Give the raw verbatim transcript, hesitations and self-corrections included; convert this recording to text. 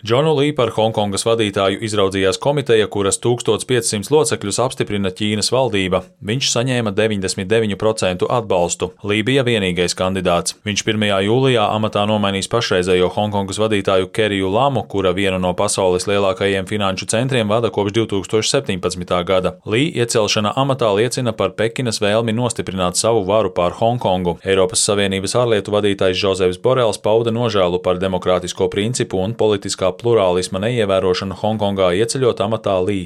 Džonu Lī par Hongkongas vadītāju izraudzījās komiteja, kuras tūkstoš piecsimt locekļus apstiprina Ķīnas valdība. Viņš saņēma deviņdesmit deviņu procentu atbalstu. Lī bija vienīgais kandidāts. Viņš pirmajā jūlijā amatā nomainīs pašreizējo Hongkongas vadītāju Keriju Lamu, kura vienu no pasaules lielākajiem finanšu centriem vada kopš divi tūkstoši septiņpadsmitā gada. Lī iecelšana amatā liecina par Pekinas vēlmi nostiprināt savu varu pār Hongkongu. Eiropas Savienības ārlietu vadītājs Žozefs Borels pauda nožēlu par demokrātisko principu un politiskā plurālisma neievērošanu Hongkongā, ieceļot amatā Lī.